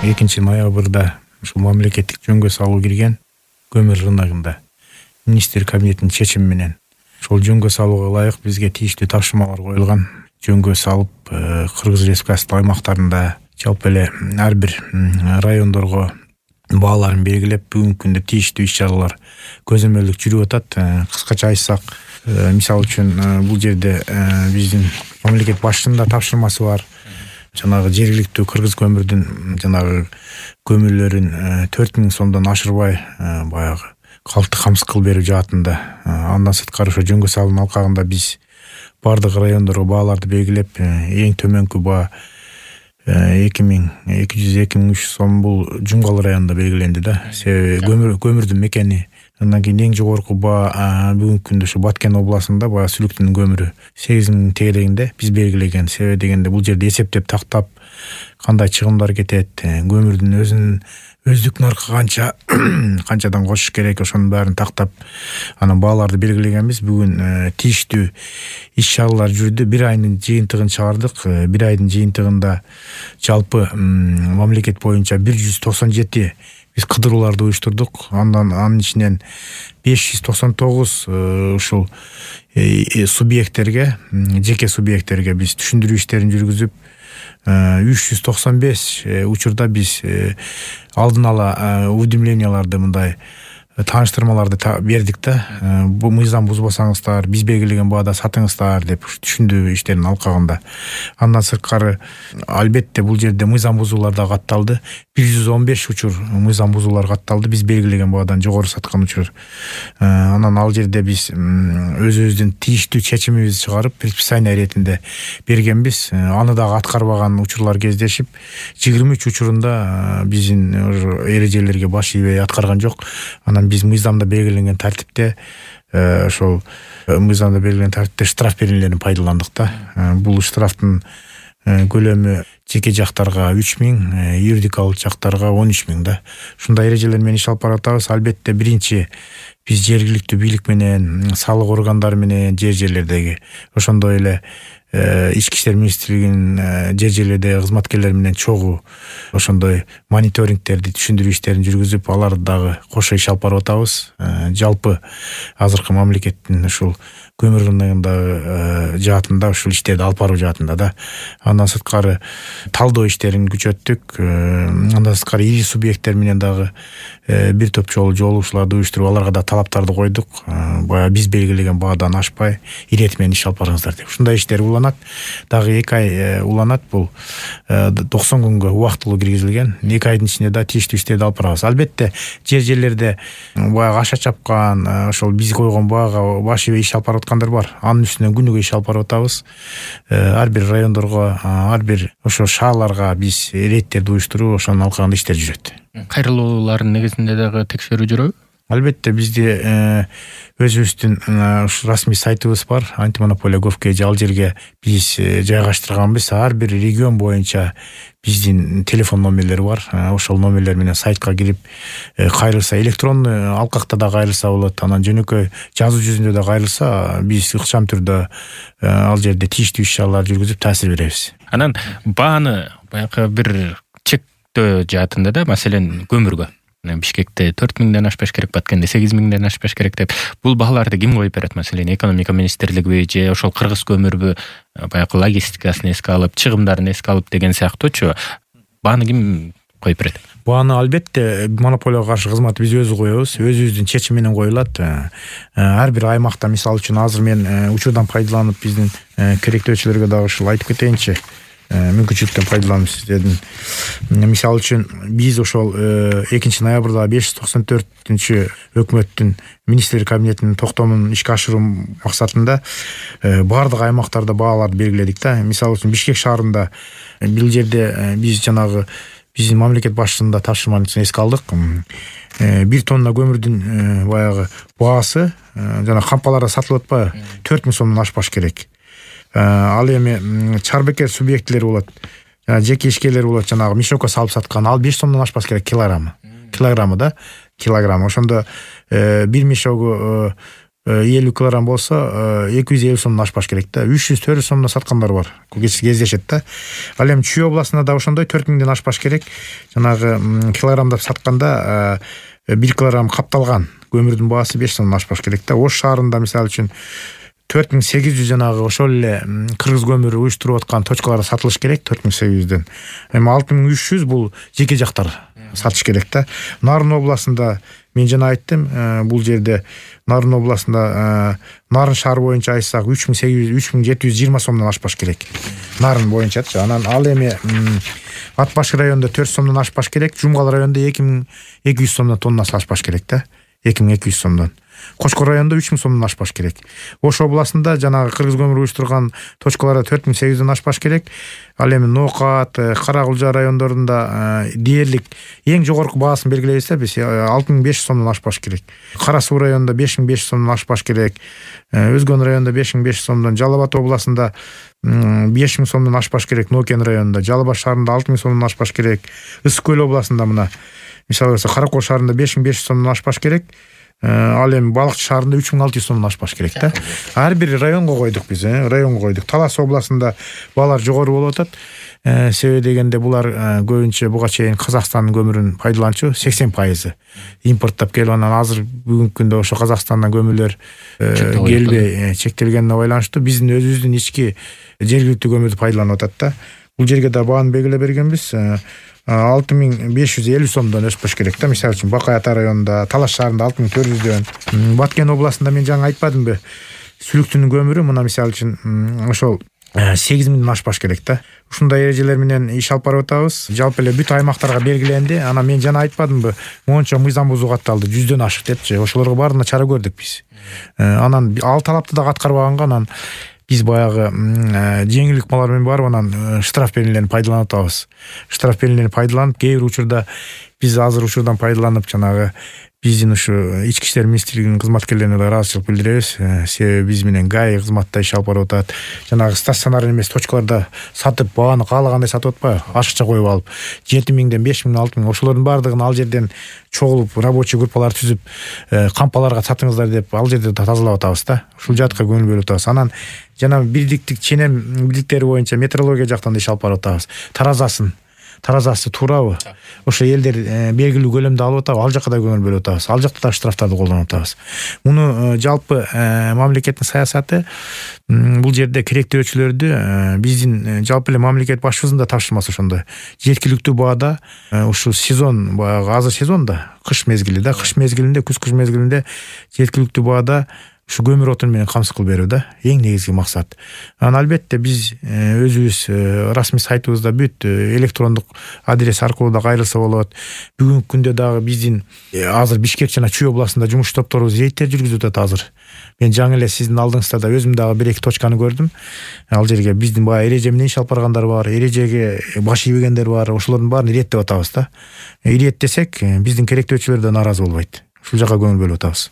2-ноябрда ушул мамлекеттик жөнгө салуу кирген көмүр рыногунда министр кабинетинин чечими менен ошол жөнгө салууга ылайык бизге тийиштүү тапшырмалар коюлган. Жөнгө салып Кыргыз Республикасынын аймактарында жалпы эле ар бир райондорго бааларын белгилеп бүгүнкү күндө тийиштүү иш-чаралар көзөмөлдүк жүрүп атат. Кыскача айтсак, мисалы үчүн бул жерде биздин мамлекет башчысынын да тапшырмасы бар. Жанагы жергиликтүү Кыргыз көмүрдүн жанагы көмүрлөрүн 4000 сомдон ашырбай баягы калкты камсыз кылып берүү жаатында. Андан сырткары ошо жөнгө салуунун алкагында биз бардык райондорго бааларды белгилеп, эң төмөнкү баа 2200-2300 сом бул Жумгал районунда белгиленди да. Себеби көмүрдүн мекени. Андан кийин эң жогорку баа бүгүнкү күндө ошо Баткен областында баягы Сүлүктүн көмүрү 8000 тегерегинде биз белгилеген. Себеби дегенде бул жерде эсептеп тактап кандай чыгымдар кетет, көмүрдүн өзүнүн өздүк наркы канчадан кошуш керек, ошонун баарын тактап анан бааларды белгилегенбиз. Бүгүн тийиштүү иш-чаралар жүрдү. Бир айдын жыйынтыгын чыгардык. Бир айдын жыйынтыгында жалпы мамлекет боюнча 197 биз кыдырууларды уюштурдук. Анын ичинен 599 ушул субъекттерге, жеке субъекттерге биз түшүндүрүү иштерин жүргүзүп, 395 учурда биз алдын ала уведомленияларды мындай тааныштырмаларды бердик да. Бул мыйзам бузбасаңыздар, биз белгилеген баада сатыңыздар деп түшүндүрүү иштеринин алкагында. Андан сырткары албетте бул жерде мыйзам бузуулар да катталды. 115 учур мыйзам бузуулар катталды. Биз белгилеген баадан жогору саткан учур. Анан ал жерде биз өзүбүздүн тийиштүү чечимибизди чыгарып, предписание иретинде бергенбиз. Аны дагы аткарбаган учурлар кездешип, 23 учурунда биздин эрежелерге баш ийбей аткарган жок. Анан биз мыйзамда белгиленген тартипте ошол мыйзамда белгиленген тартипте штраф берүүлөрүн пайдаландык да. Бул штрафтын көлөмү жеке жактарга 3000, юридикалык жактарга 13000 да. Ушундай эрежелер менен иш алып баратабыз. Албетте биринчи биз жергиликтүү бийлик менен, салык органдары менен жерлердеги, ошондой эле Ички иштер министрлигинин жерлердеги кызматкерлери менен чогуу ошондой мониторингтерди, түшүндүрүү иштерин жүргүзүп, аларды дагы кошо иш алып барып атабыз. Жалпы азыркы мамлекеттин ушул көмүр рыногундагы жаатында ушул иштерди алып баруу жаатында да. Андан сырткары талдоо иштерин күчөттүк. Андан сырткары ири субъекттер менен дагы бир топ жолугушууларды уюштуруп, аларга да талаптарды койдук. Баягы биз белгилеген баадан ашпай, ирети менен иш алып барыңыздар деп. Ушундай иштер уланат. Дагы 2 ай уланат. Бул 90 күнгө убактылуу киргизилген. 2 айдын ичинде да тийиштүү иштерди алып барабыз. Албетте жерлерде баягы аша чапкан, ошол биз койгон баага баш ийбей иш алып барып аткандар бар. Анын үстүнөн күнүгө иш алып барып атабыз. Ар бир райондорго, ар бир ошо шаарларга биз рейдтерди уюштуруп, ошонун алкагында иштер жүрөт. Кайрылуулардын негизинде дагы текшерүү жүрөбү? Албетте бизде өзүбүздүн расмий сайтыбыз бар. Антимонополия Gov.kg, ал жерге биз жайгаштырганбыз. Ар бир регион боюнча биздин телефон номерлери бар. Ошол номерлер менен сайтка кирип кайрылса, электронный алкакта да кайрылса болот. Анан жөнөкөй жазуу жүзүндө да кайрылса, биз ыкчам түрдө ал жерде тийиштүү иш-чаралар жүргүзүп таасир беребиз. Анан бааны баягы бир чектөө жаатында да, маселен көмүргө Бишкекте 4000ден ашпаш керек, Баткенде 8000ден ашпаш керек деп. Бул бааларды ким коюп берет? Маселен, экономика министрлигиби же ошол Кыргыз көмүрбү баягы логистикасын эске алып, чыгымдарын эске алып деген сыяктуучу бааны ким коюп берет? Бааны албетте монополияга каршы кызмат биз өзү коебуз. Өзүбүздүн чечим менен коюлат. Ар бир аймакта, мисалы үчүн азыр мен учурдан пайдаланып биздин керектөөчүлөргө дагы ушул айтып кетейинчи. Мүмкүнчүлүктөн пайдаланып сиздердин. Мисалы үчүн биз ошол 2-ноябрда 594-үнчү өкмөттүн министрлер кабинетинин токтомун ишке ашыруу максатында бардык аймактарда бааларды белгиледик да. Мисалы үчүн Бишкек шаарында бул жерде биз жанагы биздин мамлекет башчысынын да тапшырмасын эске алдык. 1 тонна көмүрдүн баягы баасы жана кампаларда сатылып атпайбы, 4000 сомдон ашпаш керек. Ал эми чарбекер субъектилер болот. Жеке ишкерлер болот, жанагы мешокко салып саткан. Ал 5 сомдон ашпас керек килограммы да. Ошондо 1 мешогу 50 килограмм болсо 250 сомдон ашпаш керек да. 300-400 сомдон саткандар бар. Кездешет да. Ал эми Чүй областында да ошондой 4000ден ашпаш керек. Жанагы килограммдап сатканда 1 килограмм капталган көмүрдүн баасы 5 сомдон ашпаш керек да. Ош шаарында мисалы үчүн 4800 жанагы ошол эле кыргыз көмүрү уюштуруп аткан точкаларда сатылыш керек 4800ден. Эми 6300 бул жеке жактар сатыш керек да. Нарын областында мен жана айттым, бул жерде Нарын областында Нарын шаар боюнча айтсак 3720 сомдон ашпаш керек. Нарын боюнчачы. Анан ал эми Атбашкы районунда 4 сомдон ашпаш керек, Жумгал районунда 2200 сомдон тоннасы ашпаш керек да. 2200 сомдон. Кошкор районунда 3000 сомдон ашпаш керек. Ош областында жанагы кыргыз көмүрү уюштурган точкаларда 4800ден ашпаш керек. Ал эми Ноокат, Каракулжа райондорунда дээрлик эң жогорку баасын белгилейбизде биз 6500 сомдон ашпаш керек. Кара Суу районунда 5500 сомдон ашпаш керек. Өзгөн районунда 5500 сомдон, Жалал Абад областында 5000 сомдон ашпаш керек. Нокен районунда, Жалал Абад шаарында 6000 сомдон ашпаш керек. Ысык көл областында мына мисалы Каракол шаарында 5500 сомдон ашпаш керек. Ал эми Балыкчы шаарында 3600 сомдон ашпаш керек да. Ар бир районго койдук биз, районго койдук. Талас областында баалар жогору болуп атат. Себеби дегенде булар көбүнчө буга чейин Казакстандын көмүрүн пайдаланчу 80%. Импорттап келип анан азыр бүгүнкү күндө ошо Казакстандан көмүрлөр келбей чектелгенине байланыштуу биздин өзүбүздүн ички жергиликтүү көмүрдү пайдаланып атат да. Бул жерге да бааны белгилеп бергенбиз. 6550 сомдон өспөш керек да. Мисалы үчүн Бакай Ата районунда, Талаш шаарында 6400дөн. Баткен областында мен жаңы айтпадымбы? Сүлүктүнүн көмүрү мына мисалы үчүн ошол 8000ден ашпаш керек да. Ушундай эрежелер менен иш алып барып атабыз. Жалпы эле бүт аймактарга белгиленди. Анан мен жана айтпадымбы? Мончо мыйзам бузуу катталды 100дөн ашык депчи. Ошолорго баарына чара көрдүк биз. Анан ал талапты да аткарбаганга анан биз баягы жеңил ыкмалар менен барып анан штраф белгилерин пайдаланып атабыз. Штраф белгилерин пайдаланып, кээ бир учурда биз азыр ушурдан пайдаланып жанагы биздин ушу ички иштер министрлигинин кызматкерлерине да ыраазычылык билдиребиз. Себеби биз менен ГАИ кызматта иш алып барып атат. Жанагы стационар эмес точкаларда сатып, бааны каалагандай сатып атпайбы? Ашыкча коюп алып 7000ден 5000, 6000 ошолордун баардыгын ал жерден чогулуп, рабочий группалар түзүп, кампаларга сатыңыздар деп ал жерде тазалап атабыз да. Ушул жакка көңүл бөлүп атабыз. Анан жана бирдиктик ченем бийликтери боюнча метрология жактан да иш алып барып атабыз. Таразасы туурабы? Ошо элдер белгилүү көлөмдө алып атабы? Ал жакка да көңүл бөлүп атабыз. Ал жакта да штрафтарды колдонуп атабыз. Муну жалпы мамлекеттин саясаты бул жерде керектөөчүлөрдү биздин жалпы эле мамлекет башчыбыздын да тапшырмасы ошондой. Жеткиликтүү баада ушул сезон, баягы азыр сезон да, кыш мезгили да, кыш мезгилинде, күз мезгилинде жеткиликтүү баада ушу көмүр отун менен камсыз кылып берүү да, эң негизги максат. Анан албетте биз өзүбүз расмий сайтыбызда бүт электрондук адрес аркылуу да кайрылса болот. Бүгүнкү күндө дагы биздин азыр Бишкек жана Чүй областында жумуш топторубуз рейдтер жүргүзүп атат азыр. Мен жаңы эле сиздин алдыңызда да өзүм дагы 1-2 точканы көрдүм. Ал жерге биздин баягы эреже менен иш алып баргандар бар, эрежеге баш ийбегендер бар, ошолордун баарын иреттеп атабыз да. Иреттесек биздин керектөөчүлөр да нааразы болбойт. Ушул жакка көңүл бөлүп атабыз.